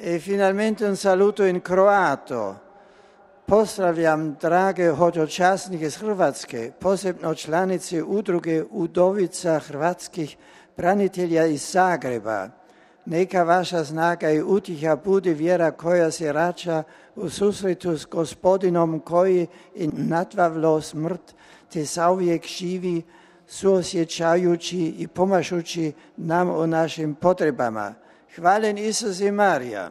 E finalmente un saluto in croato. Pozdravljam drage hodočasnike iz Hrvatske, posebno članice udruge Udovica hrvatskih branitelja iz Zagreba. Neka vaša snaga i utjeha bude vjera koja se rača u susretu s Gospodinom koji je natvavlo smrt te zauvijek živi, suosjećajući i pomažući nam u našim potrebama. Hvalen Isus i Marija.